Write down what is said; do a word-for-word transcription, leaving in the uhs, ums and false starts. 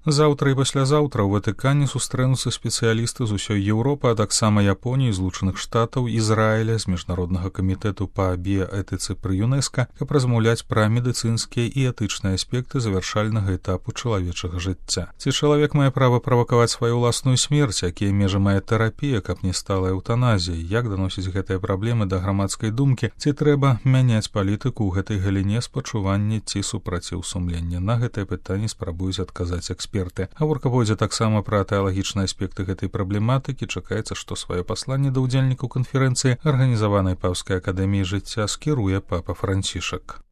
Заўтра і паслязаўтра ў Ватыкане сустрэнуцца спецыялісты з усёй Еўропы, а таксама Японіі, Злучаных Штатаў, Ізраіля, з міжнароднага камітэту па біяэтыцы пры ЮНЕСКА, каб размаўляць пра медыцынскія і этычныя аспекты завяршальнага этапу чалавечага жыцця. Ці чалавек мае права правакаваць сваю ўласную смерць, якія межы мае тэрапія, каб не стала эўтаназіяй, як даносіць гэтыя праблемы да грамадскай думкі, ці трэба мяняць палітыку ў гэтай галіне спачування ці супраціў сумлення. На гэтае пытанне спрабуюць адказаць эксперты. Гаворка пойдзе таксама пра тэалагічныя аспекты гэтай праблематыкі. Чакаецца, што сваё пасланне да ўдзельнікаў канферэнцыі, арганізаванай Папскай акадэміяй жыцця, скіруе папа Францішак.